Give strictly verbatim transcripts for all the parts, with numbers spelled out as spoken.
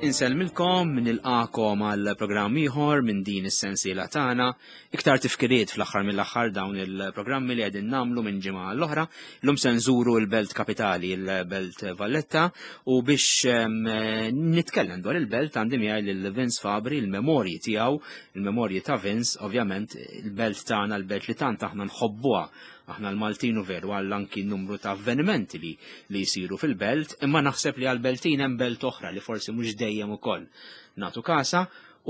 Insellmilkom, nilqagħkom għal programm ieħor minn din is-sensiela tagħna. Iktar tifkiriet fl-aħħar mill-aħħar dawn il-programmi li qegħdin nagħmlu minn ġimgħa l-oħra. Illum se nżuru l-Belt Kapitali, il-Belt Valletta, u biex em, nitkellem dwar il-belt għandi miegħi lil Vince Fabri, il-memorji tiegħu, il-memorji ta' Vince, ovvjament il-belt tagħna, il-belt li tant aħna nħobbuha aħna l-Maltin u veru għal anki numru ta' avvenimenti li, li jisiru fil-belt, imma naħseb li għal-Beltin hemm belt oħra li forsi mhux dejjem ukoll nagħtu kasa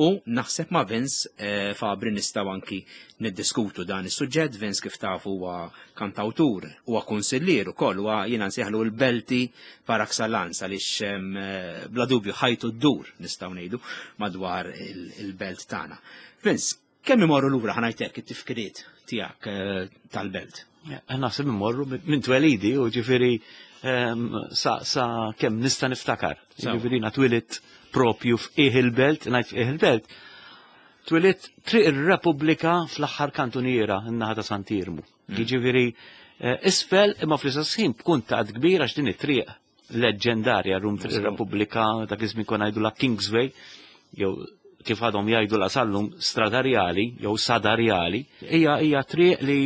u naħseb ma' Vince eh, Fabri nistgħu anki niddiskutu dan is-suġġett. Vince, kif tafu, huwa kantawtur, huwa kunsillier ukoll, huwa jiena nsejħlu l-Belti par excellence għaliex em, eh, bla dubju ħajtu ddur, nistgħu ngħidu, madwar il- il-belt tagħna. Vince, kemm imorru lura, ħa ngħidlek, it-tifkiriet tiegħek eh, tal-belt? Naħseb immorru minn twelidi u ġifieri em, sa, sa kemm nista' niftakar. Sewa. Ġifieri na twelidt propju f'qiegħ il-belt, ngħid f'qiegħ il-belt. Twelidt Triq ir-Repubblika fl-aħħar kantuniera n-naħa ta' Sant'Iermu. Ġifieri eh, isfel, imma fl-istess ħin b'kuntatt kbir għax din it-triq leġġendarja rum Triq ir-Repubblika, dak iż-żmien konna ngħidu la Kingsway, jew kif għadhom jgħidu la sallum Stradarjali jew Sadarjali, hija hija triq li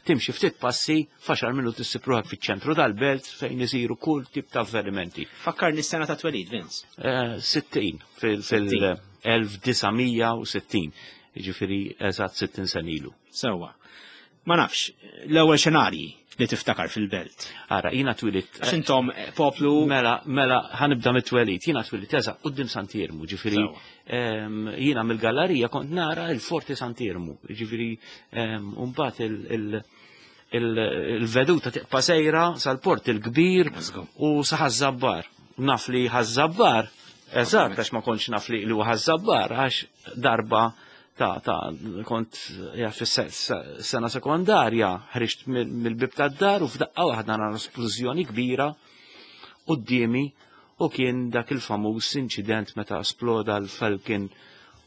timxi ftit passi, f'għaxar minuti ssib ruħek fiċ-ċentru tal-belt fejn isiru kull tip ta' avvenimenti. Fakkarni s-sena ta' twelid, Vince. Eh, sittin fil-elf disa' mija u sittin, ġifieri eżatt sittin sena ilu. Sewwa. Ma nafx, l-ewwel xenarji li tiftakar fil-belt. Ara, jiena twelidt. Għax intom eh, poplu. Mela, mela, ħa nibda mit-twelid. Jiena twelidt eżatt quddiem Sant'Iermu, ġifieri Sewwa. em, jiena mill-gallerija kont nara il-Forti Sant'Iermu, ġifieri em, mbagħad il- il- il- il-veduta tibqa' sejra sal-Port il-Kbir Let's go. u sa Ħaż-Żabbar. Naf li Ħaż-Żabbar, eżatt, għax ma kontx naf li li huwa Ħaż-Żabbar, għax darba ta' ta' kont ja, fis-sena sekondarja, ħriġt mill- mill-bib tad-dar u f'daqqa waħda nara splużjoni kbira quddiemi u kien dak il-famuż inċident meta sploda l-Falcon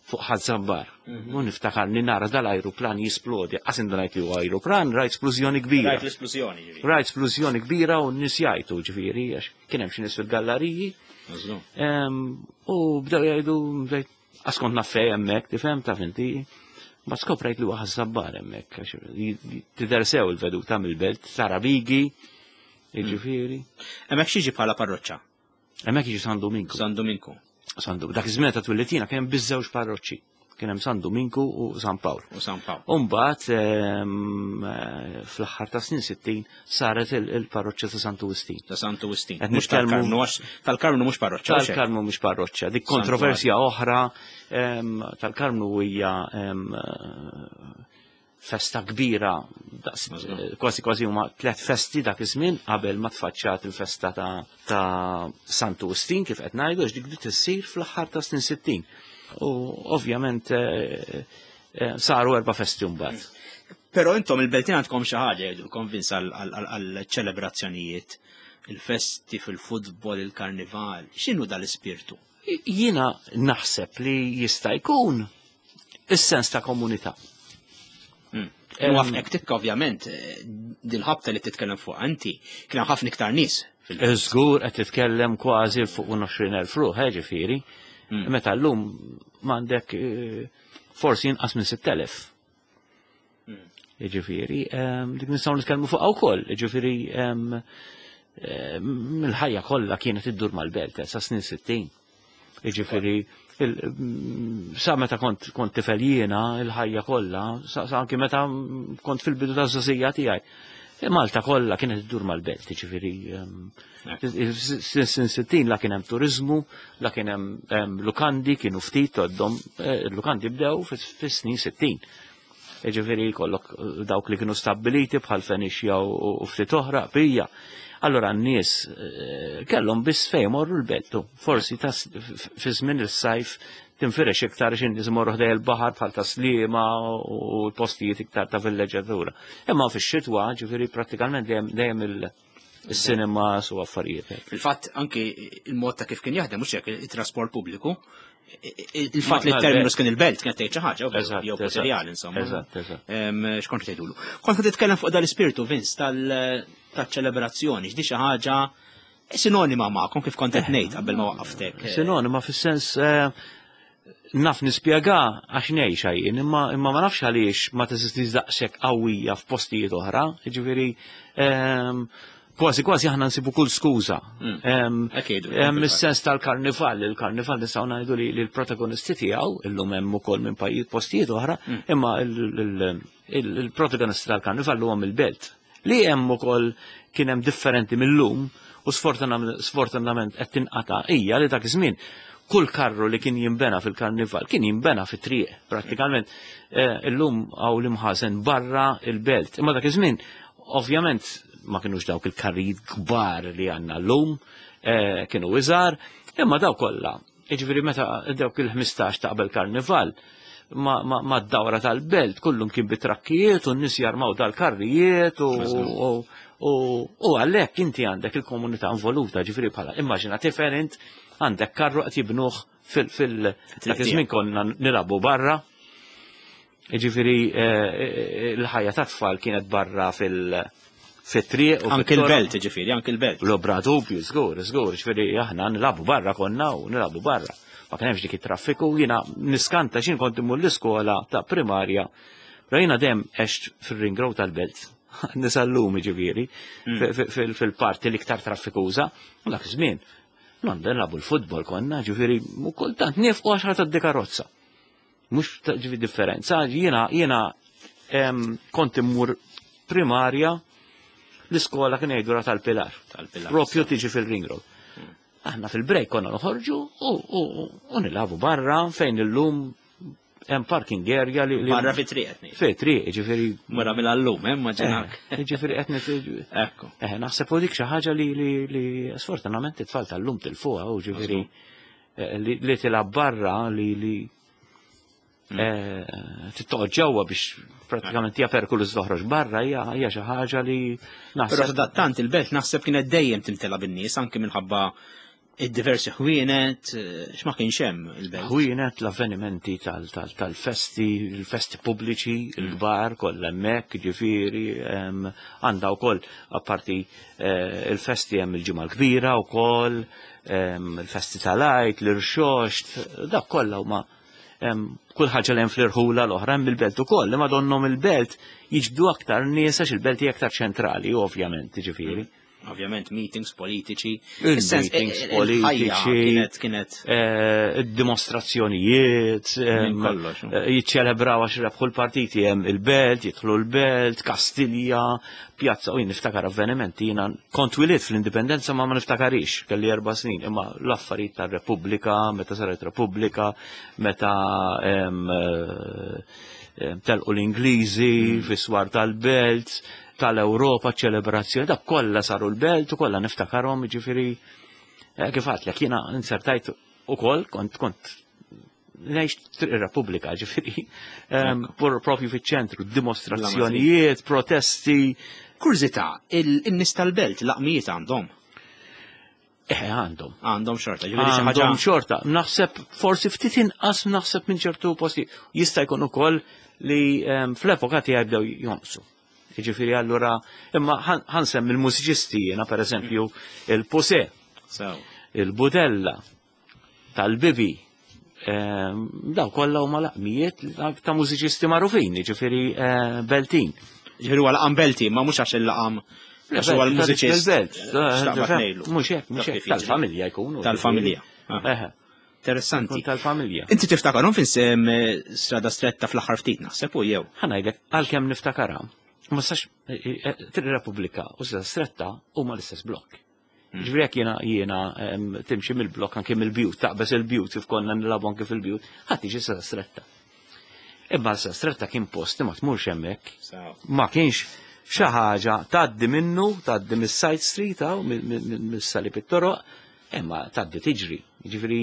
fuq Ħaż-Żabbar. U niftakar li nara dal-ajruplan jisplodi. Qas indunajt li huwa ajruplan, rajt splużjoni kbira. Rajt l-esplużjoni, ġifieri. Rajt splużjoni kbira u n-nies jgħajtu, ġifieri, għax kien hemm xi nies fil-galleriji. Mażlu. Em, U bdew jgħidu, bdejt, għax kont naf fejn hemmhekk, tifhem, taf inti. Ma skoprejt li huwa Ħaż-Żabbar hemmhekk, għax tidher sew il-veduta mill-belt, tara Bigi, ġifieri. Hemmhekk x'jiġi bħala parroċċa? Hemmhekk jiġi San Dominku. San Dominku. San Dominku. Dak iż-żmien ta' twelid jiena kien hemm biss żewġ parroċċi. Kien hemm San Dominku u San Pawl. U San Pawl. Umbagħad em, eh, fl-aħħar ta' snin sittin saret il- il-parroċċa ta' Santu Wistin. Ta' Santu Wistin. Qed Mhux nitkellmu- tal-Karmnu, għax tal-Karmnu mhux parroċċa. Hux hekk? Tal-Karmnu mhux parroċċa. Dik Santu kontroversja oħra em, tal-Karmnu hija em, eh, festa kbira, daqs- Mażgur. eh, kważi kważi huma tliet festi dak iż-żmien qabel ma tfaċċat il-festa ta' ta' Santu Wistin, kif qed ngħidu, għax dik bdiet issir fl-aħħar ta' snin sittin. U ovvjament eh, eh, saru erba' festi mbagħad. Però intom il-Beltin għandkom xi ħaġa jgħidulkom, Vince, għal-ċelebrazzjonijiet, il-festi fil-futbol, il-karnival. X'inhu dal-ispirtu? Jiena naħseb li jista' jkun is-sens ta' komunità. U għafnek tikka ovvjament, eh, dil-ħabta li titkellem fuq anti, kien hemm ħafna iktar nies fil Żgur, qed titkellem kważi fuq għoxrin elf ruħ, eh, ġifieri. Meta llum m'għandek eh, forsi inqas minn sitt elef. Ġifieri, ehm, dik nistgħu nitkellmu fuq wkoll, ġifieri ehm, ehm, il-ħajja kollha kienet iddur mal-belt eh, sa snin sittin. Ġifieri, il- mm, sa meta kont kont tifel jiena, il-ħajja kollha, sa sa anki meta kont fil-bidu taż-żgħożija tiegħi. Malta kollha kienet iddur mal-belt, ġifieri ehm, sin sittin la kien hemm turizmu, la kien hemm hemm lukandi, kienu ftit għoddhom, eh, lukandi bdew fis-snin sittin. Ġifieri kollok eh, dawk li kienu stabiliti bħal Fenixja u u ftit oħra, bija. Allora n-nies eh, kellhom biss fejn morru l-beltu. Forsi ta' fi żmien is-sajf tinfirex iktar xi nies imorru ħdej il-baħar bħal ta' Sliema u l-postijiet iktar ta' villeġġatura. Imma fix-xitwa, ġifieri, prattikament dejjem dejjem il- il-cinema u affarijiet hekk. Fil-fatt anki il-mod ta' kif kien jaħdem, mhux hekk, il-trasport pubbliku, il-fatt li Ma- t-terminus kien il-belt kienet tgħid xi ħaġa, Eżatt, jew eżatt. materjal insomma. Eżatt, eżatt. Em, X'kont tgħidulu? Kont qed titkellem fuq dal-ispirtu, Vince, tal-ċelebrazzjoni, x'di xi ħaġa Sinonima magħkom kif kont qed ngħid qabel ma waqqaftek. Sinonima fis-sens eh, naf nispjega għax ngħix jien, imma imma ma nafx għaliex ma teżistix daqshekk qawwija f'postijiet oħra, jiġifieri ehm, kważi kważi aħna nsibu kull skuża. Mm. Ehm, Hekk jgħidu, Hemm fil-fatt. is-sens tal-karnival, il-karnival nistgħu ngħidu li li l-protagonisti tiegħu illum hemm ukoll minn pajjiż postijiet oħra, imma il- il- il- il-protagonisti tal-karnival huwa mill-belt. Li hemm ukoll kien hemm differenti mill-lum u sfortunam- sfortunatament qed tinqata' hija li dak iż-żmien kull karru li kien jimbena fil-karnival kien jimbena fit-triq prattikament eh, illum hawn l-imħażen barra il-belt. Imma dak iż-żmien ovvjament ma kienux dawk il-karrijiet kbar li għandna llum, eh, kienu iżgħar, imma daw kollha. Jiġifieri meta dawk il-ħmistax ta' qabel karnival, ma, ma, ma d-dawra tal-belt kullum kien bit-trakkijiet u n-nies jarmaw dal-karrijiet u, u, u, u għalhekk inti għandek il-komunità involuta, ġifieri bħala immaġina tifel int għandek karru qed jibnuh fil- fil dak iż-żmien konna nilagħbu barra. Ġifieri eh, l-ħajja ta' tfal kienet barra fil- fit-triq u Anke fit-toroq. il-belt, ġifieri, anke il-belt. Bla dubju, żgur, żgur, ġifieri aħna nilagħbu barra konna u nilagħbu barra. Ma kien hemmx dik it-traffiku, jiena niskanta x'in kont immur l-iskola ta' primarja. Però jiena dejjem għext fil-ring road tal-belt. Nisallumi ġifieri, fi- fi- fil-parti l-iktar traffikuża, u dak iż-żmien. Nanda nilagħbu l-futbol konna, ġifieri, u kultant nifqu għaxar ta' karozza. Mhux ta' ġifieri differenza, jiena jiena em, kont immur primarja l-iskola kien jgħidu tal-Pilar. Tal-Pilar, Propju tiġi fil-ring road. Aħna fil-break konna noħorġu u, u, u nilagħbu barra fejn illum hemm parking area li. li Barra fi triq qed ngħid. Fi triq, ġifieri. Mara mill-allum, eh, immaġinak. Eh, Ġifieri qed nit- Ekku. Eh, naħseb u dik xi ħaġa li li li sfortunatament it-tfal tal-lum tilfuha u ġifieri eh, li li tilgħab barra li li eh, tittoqgħod ġewwa biex pratikament hija perikoluż toħroġ barra hija hija xi ħaġa li Però naħseb sadattant il-belt naħseb kienet dejjem timtela bin-nies anke minħabba id-diversi ħwienet, eh, x'ma kienx hemm il-belt. Ħwienet l-avvenimenti tal- tal- tal-festi, il-festi pubbliċi, il-kbar, kollha hemmhekk, ġifieri, em, għandha wkoll apparti eh, il-festi hemm il-ġimgħa l-kbira wkoll, em, il-festi tal-Għid, l-irxoxt, dak kollha huma em, kull ħaġa li hemm fl-irħula l-oħra hemm il-belt ukoll, imma donnhom il-belt jiġbdu aktar nies għax il-belt hija aktar ċentrali, ovvjament, ġifieri. Ovvjament meetings politiċi. Il-meetings Is-sens, il-ħajja politiċi. Kienet kienet eh, dimostrazzjonijiet, em, Minn kollox, no? eh, jiċċelebraw għax rebħu l-partiti hemm il-belt, jidħlu l-belt, Kastilja, pjazza, u jien niftakar avvenimenti, jiena kont twelidt fl-indipendenza ma ma niftakarix, kelli erba' snin, imma l-affarijiet tar-Repubblika, meta saret Repubblika, meta em, eh, em, telqu l-Ingliżi, fis-swar tal-belt, tal-Ewropa, ċelebrazzjoni, dak kollha saru l-belt u kollha niftakarhom, ġifieri eh, kif għedtlek, jiena insertajt ukoll kont kont ngħix Triq ir-Repubblika, ġifieri, em, pur- propju fiċ-ċentru, dimostrazzjonijiet, protesti, Kurżità, il-nies tal-belt laqmijiet għandhom. eh għandhom. Għandhom xorta, ġifieri xi ħaġa. Għandhom xorta. Naħseb forsi ftit inqas naħseb minn ċertu posti. Jista' jkun ukoll li em, fl-epoka tiegħi bdew jonqsu. Jiġifieri allura imma ħa nsemmi il-mużiċisti jiena pereżempju il-Puse, So, il-Budella, tal-Bibi, em, daw kollha huma laqmijiet ta' mużiċisti magħrufin, jiġifieri eh, Beltin. Ġifieri huwa laqam belti, ma mhux għax il-laqam għax huwa l-mużiċist. Belt. Xtaqbad ngħidlu. Mhux hekk, mhux Dak hekk, kif jiġri. tal-familja jkunu. Tal-familja. Ah. Eħe, Interessanti. kun tal-familja. Inti tiftakarhom fin sem strada stretta fl-aħħar ftit naħseb u jew. Ħa ngħidlek, għalkemm niftakara, ma sax Triq Repubblika u Strada Stretta huma l-istess blok. Ġifieri jekk jiena jiena em, timxi mill-blok anke mill-bjut, taqbeż il-bjut kif konna nilagħbu anke fil-bjut, ħadd tiġi Strada Stretta. Imma Strada Stretta kien post li ma tmurx hemmhekk. Ma kienx xi ħaġa tgħaddi minnu, tgħaddi mis-side street hawn, mis-salib it-toroq, imma tgħaddi tiġri. Ġifieri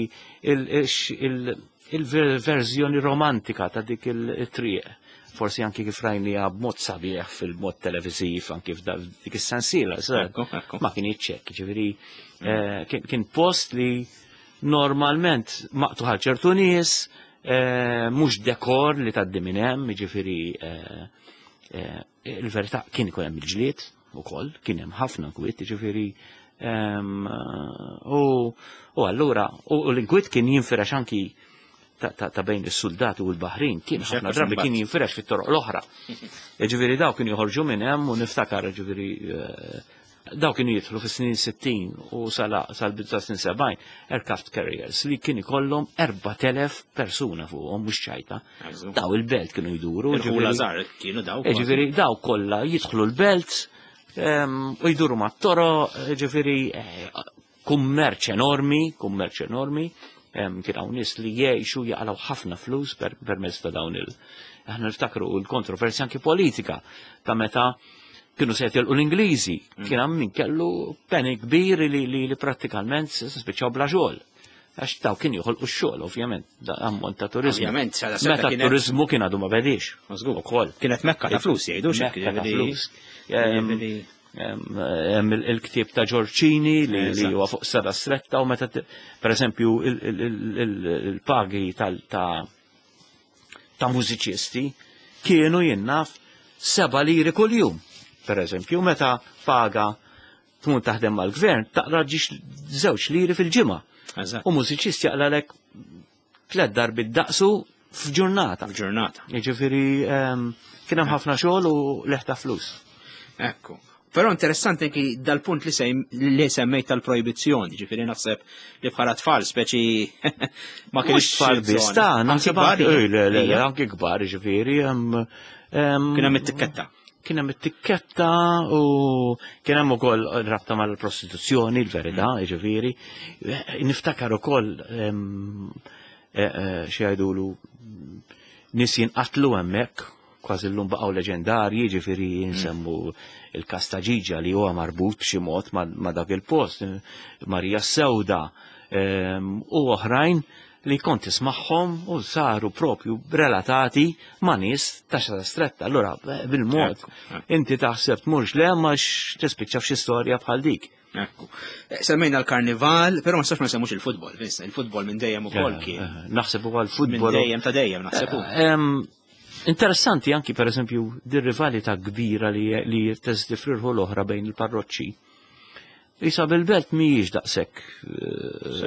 il-verżjoni romantika ta' dik il-triq, forsi anki kif rajnija b'mod sabiħ fil-mod televiżiv, anki f'dik is-sensiela, Ekku, ekku. ma kien ċekk, ġifieri eh, kien kien post li normalment maqtugħ għal ċertu nies, eh, mhux dekor li tgħaddi minn hemm, ġifieri eh, eh, il-verità kien ikun hemm il-ġlied ukoll, kien hemm ħafna kwiet, ġifieri U allura, u l-inkwiet kien jinfirex anki ta' bejn is-soldati u l-Baħrin, kien ħafna drabi kien jinfirex fit-toroq l-oħra. Ġifieri daw kienu joħorġu minn hemm u niftakar ġifieri daw kienu jidħlu fis-snin sittin u sal-bidu ta' snin sebgħin aircraft carriers li kien ikollhom erbat elef persuna fuqhom, mhux ċajta. Daw il-belt kienu jduru. Kienu daw. Ġifieri daw kollha jidħlu l-belt u jduru mat-toroq, ġifieri kummerċ enormi, kummerċ enormi. Kien hawn nies li jgħixu jaqalgħu ħafna flus permezz ta' dawn il. Aħna niftakru l-kontroversja anki politika ta' meta kienu se jitilqu l-Ingliżi, kien hemm min kellu panic kbir li li prattikalment spiċċaw bla xogħol. Għax daw kien joħolqu x-xogħol, ovvjament, ammont ta' turizmu. Ovvjament, meta t-turizmu kien għadu ma bedix. Ukoll. Kienet mekka ta' flus jgħidu xi flus. Hemm il-ktieb ta' Ġorċini li huwa fuq Strada Stretta u meta pereżempju il-pagi ta' mużiċisti kienu jinnaf seba' liri kuljum. Per eżempju, meta paga tmur taħdem mal-gvern, taqra ġiex żewġ liri fil-ġimgħa. U mużiċist jaqlalek tliet darbiet daqsu f'ġurnata. F'ġurnata. Jiġifieri kien hemm ħafna xogħol u leħta flus. Ekku. Però interessanti anki dal-punt li li semmejt tal-projbizzjoni, ġifieri naħseb li bħala tfal speċi ma kienx tfal biss, ta' naħseb anki kbar, ġifieri. Kien hemm it-tikketta. Kien hemm it-tikketta u kien hemm ukoll rabta mal-prostituzzjoni, l-verità, ġifieri. Niftakar ukoll xi jgħidulu nies jinqatlu hemmhekk, kważi llum baqgħu leġendarji, ġifieri nsemmu il-każ ta' Ġiġa li huwa marbut b'xi mod ma' dak il-post, Marija Sewda u oħrajn li kont tismagħhom u saru propju relatati ma' nies ta' Strada Stretta. Allura bil-mod inti taħseb tmurx le ma tispiċċa f'xi storja bħal dik. Ekku. Semmejna l-karnival, però ma nistax ma nsemmux il-futbol, il-futbol minn dejjem ukoll kien. Naħseb ukoll futbol. Minn dejjem ta' dejjem naħseb. Interessanti anki per eżempju dir rivalità kbira li teżdi fl-irħu l-oħra bejn il-parroċċi. Isa bil-belt mhijiex daqshekk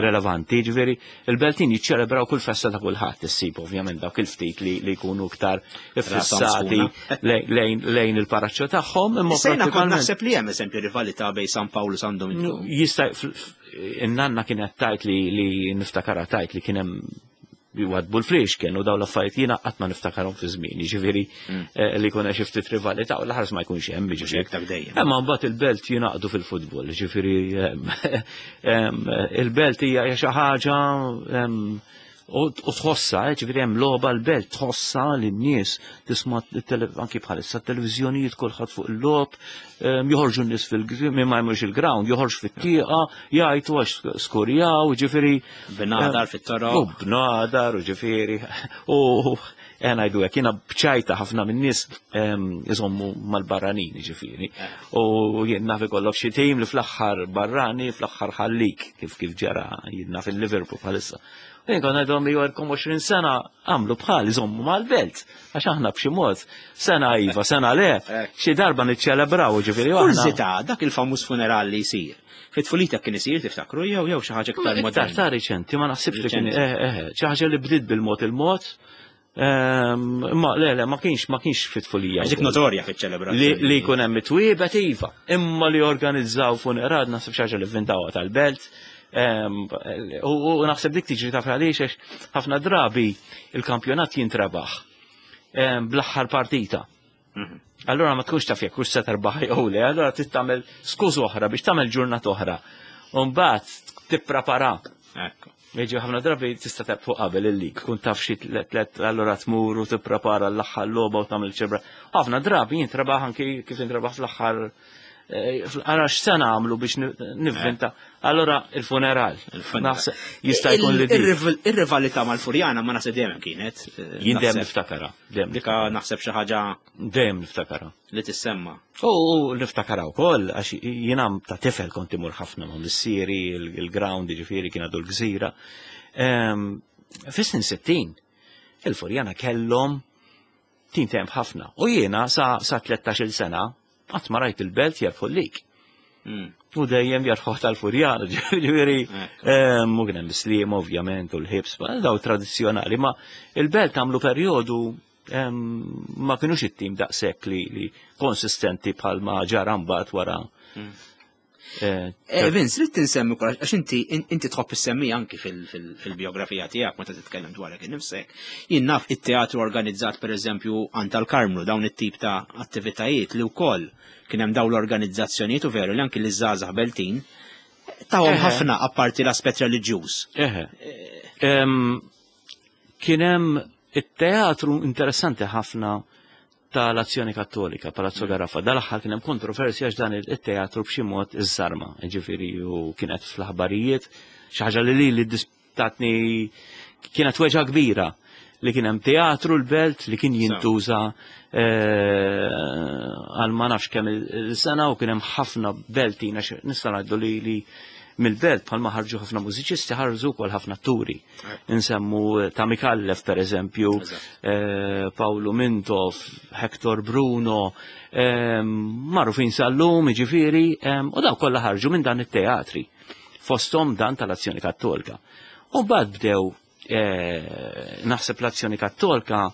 relevanti, ġifieri il-beltin jiċċelebraw kull festa ta' kulħadd issib ovvjament dawk il-ftit li jkunu iktar iffissati lejn il-paraċċo tagħhom. Imma sejna kont naħseb li hemm eżempju rivalità bejn San Pawl u San Dominiku. Jista' in-nanna kienet tajt li niftakara tajt li kien hemm jwadbu l-flix kienu daw l-affarijiet jiena qatt ma niftakarhom fi żmien, jiġifieri li jkun hemm xi ftit rivalità u l-aħħar ma jkunx hemm, jiġifieri. Imma mbagħad il-belt jingħaqdu fil-futbol, jiġifieri il-belt hija xi ħaġa u tħossha, ġifieri hemm logħba l-belt tħossha lin-nies tisma' anki bħalissa t-televiżjonijiet kulħadd fuq il-logħob, joħorġu n-nies fil ma jmurx il-ground, joħorġ fit-tieqa, jgħidu għax skurjaw, ġifieri. Bnadar fit-toroq. U bnadar, u ġifieri. U ngħidu hekk, jiena bċajta ħafna min-nies iżommu mal-barranin, ġifieri. U jien naf ikollok xi tim li fl-aħħar barrani, fl-aħħar ħallik, kif kif ġara jien naf il-Liverpool bħalissa. Jien kont ngħidhom li għandkom għoxrin sena għamlu bħal iżommu mal-belt, għax aħna b'xi mod sena iva, sena le, xi darba niċċelebraw, ġifieri aħna. Kurżità, dak il-famuż funeral li jsir. Fit-tfulita kien isir tiftakru jew jew xi ħaġa iktar moderna. Iktar ta' riċenti, ma naħsibx li kien eh eh xi ħaġa li bdiet bil-mod il-mod. Ma le le ma kienx ma kienx fit-tfulija. Dik notorja fiċ-ċelebrazzjoni. Li jkun hemm it-twiebet iva, imma li organizzaw funeral naħseb xi ħaġa li vvintawha tal-belt. U naħseb dik tiġri taf għaliex għax ħafna drabi il-kampjonat jintrebaħ bl-aħħar partita. Allora ma tkunx taf jekk hux se terbaħ jew le, allora trid tagħmel skuż oħra biex tagħmel ġurnata oħra. U mbagħad tipprepara. Ekku. Jiġi ħafna drabi tista' tebq fuq qabel il-lig, tkun taf xi tliet allura tmur u tipprepara l-aħħar logħba u tagħmel ċebra. Ħafna drabi jintrebaħ anki kif intrebaħ fl-aħħar Għara x'sena għamlu biex nivvinta. Allora il-funeral. Jista' jkun li Ir-rivalità mal-Furjana ma naħseb dejjem kienet. Jien dejjem niftakara. Dika naħseb xi ħaġa. Dejjem niftakara. Li tissemma. U niftakara wkoll għax jiena ta' tifel kont imur ħafna ma' missieri, il-ground jiġifieri kien għadu l-gżira. Fis-snin sittin il-Furjana kellhom tim temp ħafna. U jiena sa tlettax-il sena qatt ma rajt il-belt jerbħu l-lig. Mm. U dejjem jarħuħ tal-Furjana, ġifieri, u kien hemm Sliema ovvjament u l-Ħibs, daw tradizzjonali, ma il-Belt għamlu perjodu ma kienux it-tim daqshekk li, li konsistenti bħalma ġara mbagħad wara. Mm. Eh, eh, Vince, rrid tinsemmi wkoll għax inti inti tħobb issemmi anki fil-biografija tiegħek meta titkellem dwarek innifsek. Jien naf it-teatru organizzat, pereżempju, għand tal-Karmnu, dawn it-tip ta' attivitajiet li wkoll kien hemm dawn l-organizzazzjonijiet u veru li anki l-żgħażagħ Beltin tawhom ħafna apparti l-aspett reliġjuż. Eħe. Kien hemm it-teatru interessanti ħafna tal-Azzjoni Kattolika, Palazzo Garaffa. Dal-aħħar kien hemm kontroversja għax dan it-teatru b'xi mod iżżarma, ġifieri, u kienet fl-aħbarijiet xi ħaġa li li tatni kienet weġgħa kbira li kien hemm teatru l-Belt li kien jintuża eh, għal ma nafx kemm il-sena u kien hemm ħafna Beltin, għax nista' ngħidu li li mill-Belt bħalma ħarġu ħafna mużiċisti, ħarġu wkoll ħafna atturi. Insemmu ta' Micallef, per eżempju, eh, Paolo Mintoff, Hector Bruno, eh, magħrufin sal-lum, ġifieri, u daw kollha ħarġu minn dan it-teatri. Fostom dan tal-Azzjoni Kattolika. U mbagħad bdew eh, naħseb l-Azzjoni Kattolika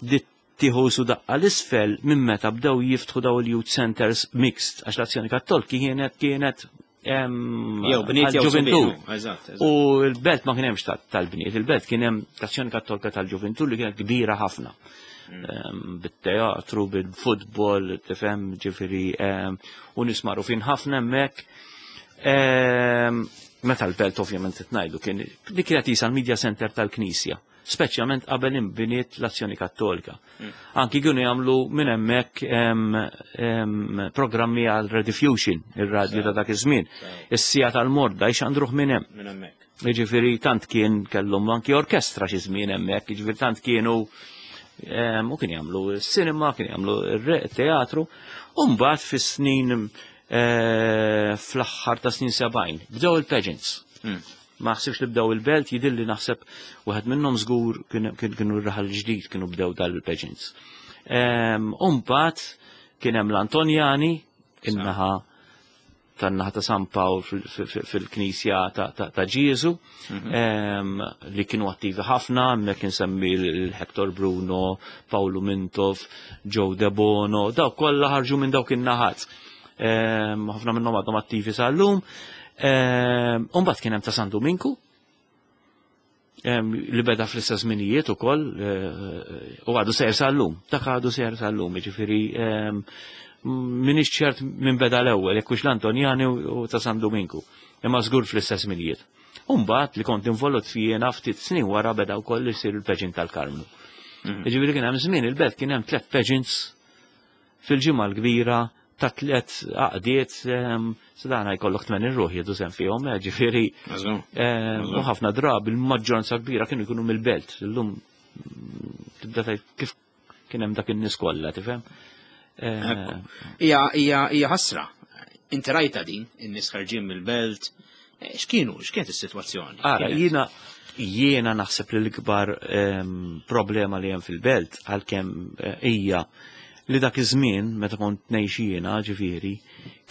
dit tieħu su daqqa l-isfel minn meta bdew jiftħu daw il-youth centers mixed, għax l-Azzjoni Kattolika kienet kienet Jew bniet jew għal-ġuventur. subien. Eżatt, eżatt. U l-Belt ma kien hemmx tal-bniet, il-Belt kien hemm l-Azzjoni Kattolika tal-Ġuventur li kienet kbira ħafna. Em, Bit-teatru, bil-futbol, tifhem, ġifieri, em, u nies magħrufin ħafna hemmhekk. Em, Meta l-Belt ovvjament tnajdu kien li kienet jisa l-media center tal-Knisja, speċjalment qabel imbiniet l-Azzjoni Kattolika. Anki kienu jagħmlu minn hemmhekk em, em, programmi għal Rediffusion, ir-radju ta' dak iż-żmien. Is-siegħa tal-morda jxandruh minn hemm. Minn hemmhekk. Jiġifieri tant kien kellhom anki orkestra xi żmien hemmhekk, jiġifieri tant kienu em, u kien jagħmlu s-cinema, kien jagħmlu r-teatru, u mbagħad fis-snin eh, fl-aħħar ta' snin sebgħin bdew il-pageants. Mm. Ma ħsibx li bdew il-Belt, jidilli naħseb wieħed minnhom żgur kienu kienu r-Raħal Ġdid kienu bdew dal-pageants. U mbagħad kien hemm l-Antonjani, in-naħa tan-naħa ta' San Pawl fil-Knisja ta' Ġieżu, em, li kienu attivi ħafna, hemmhekk insemmi l-Hector Bruno, Paolo Mintoff, Joe De Bono, dawk kollha ħarġu minn dawk in-naħat. Em, Ħafna minnhom għadhom attivi sal-lum. Em, U mbagħad kien hemm ta' San Dominku, em, li beda fl-istess żminijiet ukoll eh, u għadu sejr sal-lum. Dak għadu sejr sal-lum, jiġifieri em, minix ċert minn beda l-ewwel, jekk hux l-Antonjani u ta' San Dominku. Imma żgur fl-istess żminijiet. U mbagħad li kont involut jiena ftit snin wara beda wkoll isir il-pageant tal-Karmnu. Jiġifieri kien hemm żmien il-Belt kien hemm tliet pageants fil-Ġimgħa l-Kbira ta' tliet għaqdiet, sadana jkollok tmenin ruħ jieħdu sehem fihom, eh, ġifieri em, u ħafna drabi il-maġġoranza kbira kienu jkunu mill-Belt. Illum mm, tibda tgħid kif kien hemm dak in-nies kollha, tifhem? Eh, Hija hija hija ħasra. Inti rajta din, in-nies ħarġin mill-Belt. Eh, X'kienu, x'kienet is-sitwazzjoni? Ara, Kienet- jiena jiena naħseb li l-ikbar em, problema li hemm fil-Belt għalkemm eh, hija li dak iż-żmien meta kont ngħix jiena, ġifieri,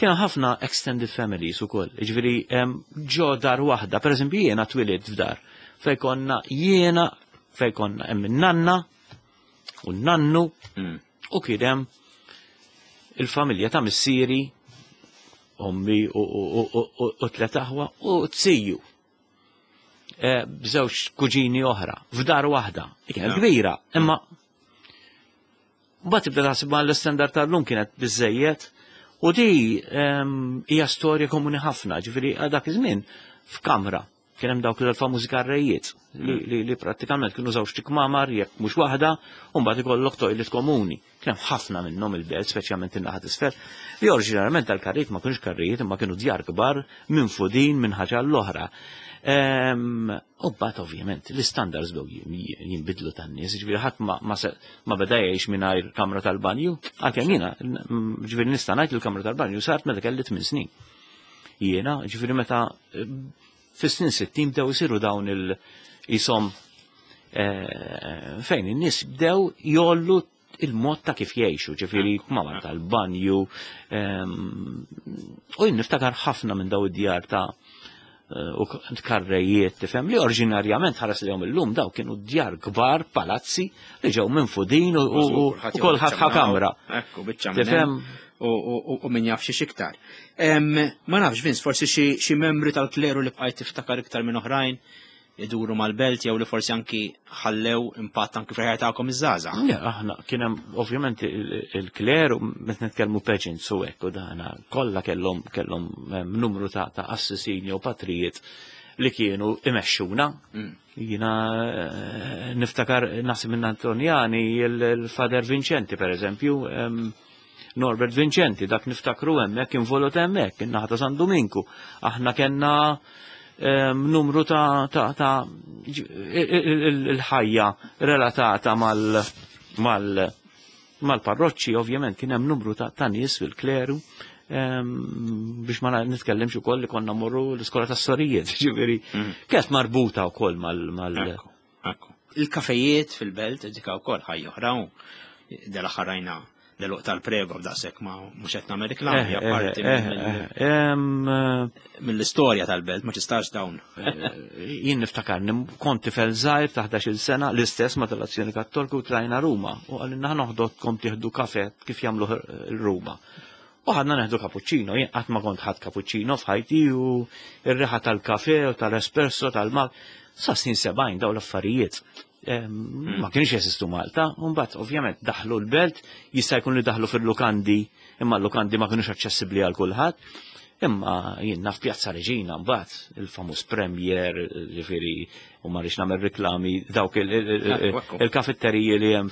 kien ħafna extended families ukoll. Ġifieri em, ġo dar waħda, pereżempju jiena twilidt f'dar fejn konna jiena, fejn konna hemm in-nanna u n-nannu Mm. u kien hemm il-familja ta' missieri, ommi u, u, u, u, u tlet aħwa u t-siju. Eh, B'żewġ kuġini oħra, f'dar waħda. Li kienet Ja. kbira, imma mbagħad tibda taħseb ma l-istandard tal-lum kienet biżejjed u di em, hija storja komuni ħafna, ġifieri għal dak iż-żmien f'kamra kien hemm dawk l-famużi karrejiet li, li, li prattikament kienu żewġ kmamar jekk mhux waħda u mbagħad ikollok toilet komuni. Kien hemm ħafna minnhom il-Belt, speċjalment in-naħa t'isfel, li oriġinarjament tal-karrijiet ma kienux karrijiet imma kienu djar kbar minn fudin minn ħaġa l-oħra. Em, U mbagħad ovvjament l-istandards bdew jin- jinbidlu tan-nies, ġifieri ħadd ma, ma, se- ma beda jgħix mingħajr kamra tal-banju, għalkemm jiena, mm, ġifieri nista' ngħid li l-kamra tal-banju sart meta kelli tmien snin. Jiena, ġifieri meta eh, fis-snin sittin bdew isiru dawn il-jisom eh, fejn in-nies bdew jollu il-mod ta' kif jgħixu, ġifieri kmamar tal-banju. Em, U jien niftakar ħafna minn daw id-djar ta' eh, u karrejiet, tifhem, li oriġinarjament ħares li illum daw kienu djar kbar, palazzi, li ġew minn fudin u u- u kulħadd ħa kamra. Ekku, biċċa minn Tifhem? hemm u u- u min jaf xi iktar. Em, Ma nafx, Vince, forsi xi xi membri tal-kleru li bqajt tiftakar iktar minn oħrajn iduru mal-belt jew li forsi anki ħallew impatt anki fil-ħajja tagħkom iż-żgħażagħ. Ja, aħna kien hemm ovvjament il- il-kleru, meta nitkellmu pageants u hekk u dana kollha kellhom kellhom em, numru ta' ta' qassisin jew patrijiet li kienu imexxuna. Mm. Jina eh, niftakar naħseb minn Antonjani il-Fader Vincenti per eżempju, em, Norbert Vincenti, dak niftakru hemmhekk involut hemmhekk, in-naħa ta' San Dominku. Aħna kellna em, numru ta' ta' ta' ġ- il- il- il-ħajja relatata mal mal mal-parroċċi, ovvjament kien hemm numru ta' ta' nies fil-kleru em, biex ma nitkellimx ukoll li konna morru l-iskola tas-sorijiet, ġifieri kienet marbuta wkoll mal mal Ekku, ekku. Il-kafejiet fil-belt dika wkoll ħajja oħra u dal-aħħar rajna l tal-prego b'daqshekk ma mhux qed nagħmel reklam, Eh, hija eh, parti eh, mill- eh, em, eh, mill-istorja tal-belt, ma tistax dawn. Jien niftakar, kont tifel żgħir ta' ħdax-il sena, l-istess ma tal-Azzjoni Kattolika u tlajna Ruma. U għalina noħdotkom tieħdu kafe kif jagħmlu l-Ruma. U ħadna neħdu cappuccino, jien qatt ma kont ħadd cappuccino f'ħajti u r-riħa tal-kafe u tal-espresso tal-mal. Sa snin sebgħin daw l-affarijiet Em, Ma kienx jeżistu Malta, u mbagħad ovvjament daħlu l-belt, jista' jkun li daħlu fil-lukandi, imma l-lukandi ma kienux aċċessibbli għal kulħadd. Imma jien naf Pjazza Reġina mbagħad il-famuż Premier, ġifieri, u ma rridx nagħmel riklami dawk il- il- il- Ekku, ekku. il-kafetteriji li hemm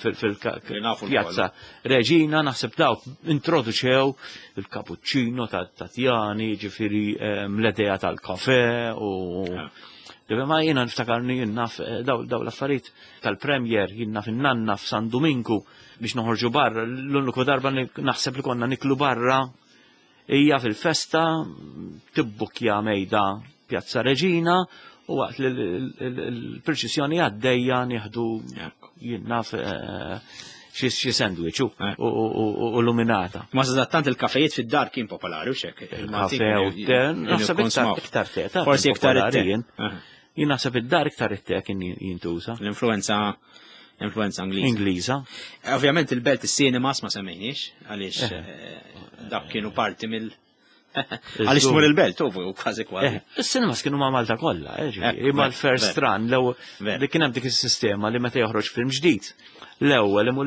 Li nafu fil-Pjazza Reġina, naħseb dawk introduċew il-cappuccino ta' Tatjani, ġifieri em, l-idea tal-kafe u Ġifieri ma jiena niftakarni jien naf eh, daw daw l-affarijiet tal-Premier, jien naf in-nanna f'San Dominku biex noħorġu barra, l-uniku darba li naħseb li konna niklu barra hija fil-festa tibbukja mejda Pjazza Reġina u waqt li l-purċissjoni għaddejja nieħdu Ekku. jien naf eh, xi xi sandwich u Eh. u- u u luminata. Ma sadattant il-kafejiet fid-dar kien popolari u xek. Il-kafe u te, naħseb iktar iktar te, ta' Forsi iktar popolari it-te. jien. Aha. Jien naħseb id-dar iktar it-te kien jintuża. L-influenza l-influenza Ingliża. Ingliża. Ovvjament il-belt is-cinemas ma semmejniex, għaliex eh, dak kienu parti mill Għaliex tmur il-belt, u kważi kważi. Eh, Is-cinemas kienu ma' Malta kollha, eh, ġifieri, Eh, imma ver, l-first ver. run, l Ver. dik kien hemm dik is-sistema li meta joħroġ film ġdid. L-ewwel imur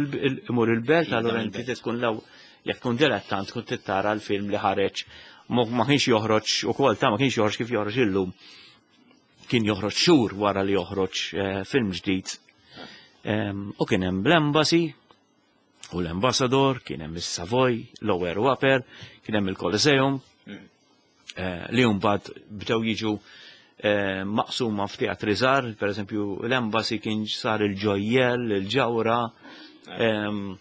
imur il-belt, Jibda allura inti mill-belt. tkun l jekk tkun dilettant tkun tittara l-film li ħareġ ma ma kienx joħroġ ukoll ta' ma kienx joħroġ kif joħroġ illum. Kien joħroġ xhur wara li joħroġ eh, film ġdid. Em, U kien hemm l-Embassy, u l-Ambassador, kien hemm is-Savoy, Lower u Upper, kien hemm il-Coliseum, eh, li mbagħad bdew jiġu eh, maqsuma f'teatri żgħar, per eżempju l-Embassy kien sar il-Ġojjel, il-Ġawra, em,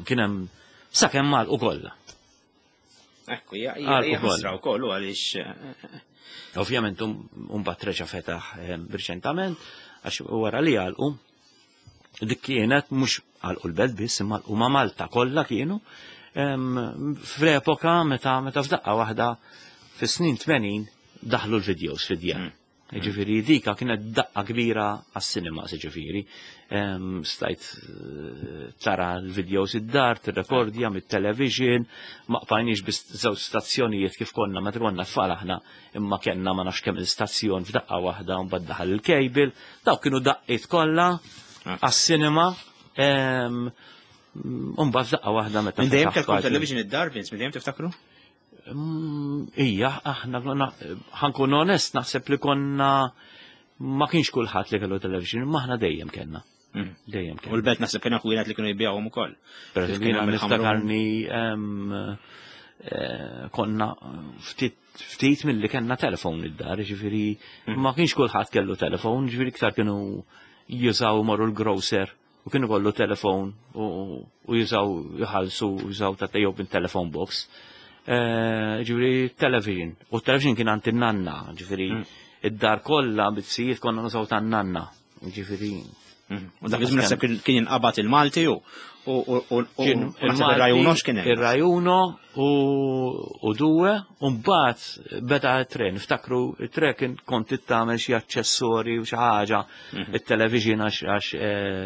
kien hemm sakemm għalqu kollha. Ekku, hija Għal hija ukoll. ħasra wkoll u għaliex eh, Ovvjament mbagħad reġa' fetaħ em, riċentament għax wara li għalqu dik kienet mhux għalqu l-belt biss imma għalqu ma' Malta kollha kienu em, fl-epoka meta meta f'daqqa waħda fis-snin tmenin daħlu l-videos fid-djar. Ġifieri dika kienet daqqa kbira għas-cinema, ġifieri. Em, Stajt eh, tara l-videos id-dar, tirrekordja mit-television, ma qbajniex biss żewġ stazzjonijiet kif konna meta konna tfal aħna, imma kellna ma nafx kemm il-stazzjon f'daqqa waħda u mbagħad daħal il-cable, dawk kienu daqqiet kollha għas-cinema. em, U mbagħad f'daqqa waħda meta Minn dejjem fetaħ kellkom parti. television id-dar, Vince, minn dejjem tiftakru? Mm, Ija, aħna konna- ħa nkun onest, naħseb li konna ma kienx kulħadd li kellu television, ma aħna dejjem kellna. Mm. Dejjem U kellna. l-belt naħseb kien ħwienet li kienu jbijawhom ukoll. Per Kif eżempju, kien jiena hemm il-Ħamrun. niftakarni em, eh, konna ftit ftit mill-li kellna telefon id-dar, ġifieri ma kienx kulħadd kellu telefon, ġifieri iktar kienu jużaw morru l-grocer u kienu kollu telefon u u jużaw jħallsu jużaw ta' jew telephone box. Eh, Ġifieri television. U television kien għand in-nanna, ġifieri id-dar kollha bit-sijiet konna nużaw tan-nanna. Ġifieri U dak iż-żmien naħseb kien jinqabad il-Malti u u ir-Rai Uno x'kien hemm. Ir-Rai Uno u Due, u mbagħad beda t-tren. Niftakru it-tren kien kont tagħmel xi aċċessorji u xi ħaġa, it-television għax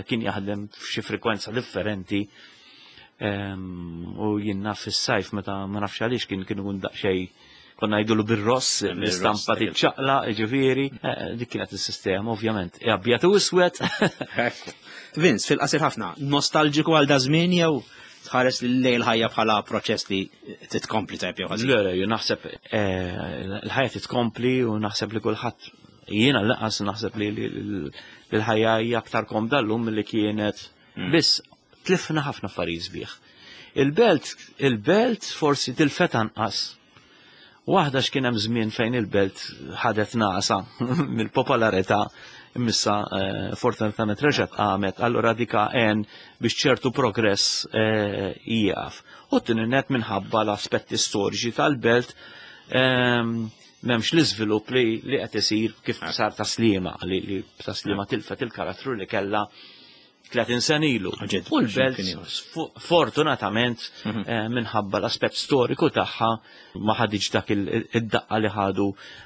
kien jaħdem f'xi frekwenza differenti. U jien naf fis-sajf meta ma nafx għaliex kien kien ikun daqsxejn konna ngħidulu bir-ross, l-istampa tiċċaqla, ġifieri, dik kienet is-sistema ovvjament. Abjad u iswed. Vince, fil-qasir ħafna, nostalġiku għal daż-żmien jew tħares lejn il-ħajja bħala proċess li titkompli tajb jew ħażin? Le, le, jien naħseb l-ħajja titkompli u naħseb li kulħadd jiena lanqas naħseb li l-ħajja hija aktar komda llum milli kienet. Biss tlifna ħafna affarijiet sbieħ. Il-belt, il-belt forsi tilfet anqas. Waħda x'kien hemm żmien fejn il-belt ħadet nasa mill-popolarità, imissa fortunatament reġgħet qamet, allura dika għen biex ċertu progress jieqaf. U t-tieni net minħabba l-aspetti storiċi tal-belt m'hemmx l-iżvilupp li qed isir kif sar Tas-Sliema, li Tas-Sliema tilfet il-karattru li kellha tletin sen ilu. U l-belt fortunatament minħabba l-aspett storiku tagħha ma ħadiġ dak id-daqqa li ħadu.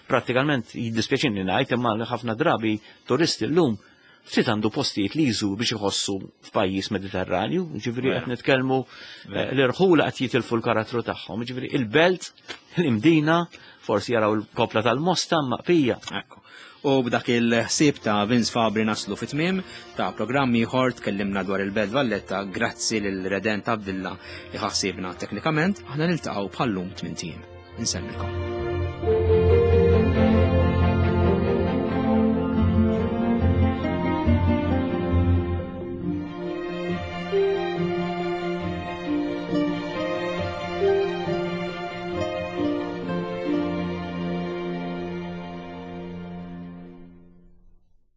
Prattikament jiddispjaċini ngħid imma ħafna drabi turisti llum ftit għandu postijiet li jżur biex iħossu f'pajjiż Mediterranju, ġifieri qed nitkellmu l-irħula qed jitilfu l-karattru tagħhom, ġifieri il-belt, l-Imdina, forsi jaraw il-kopla tal-Mosta maqfija. Ekku. U b'dak il-ħsieb ta' Vince Fabri naslu fit-tmiem ta' programm ieħor tkellimna dwar il-Belt Valletta grazzi lil Redent Abdilla li ħassibna teknikament, aħna niltaqgħu bħallum tmien ijiem. Insellmilkom.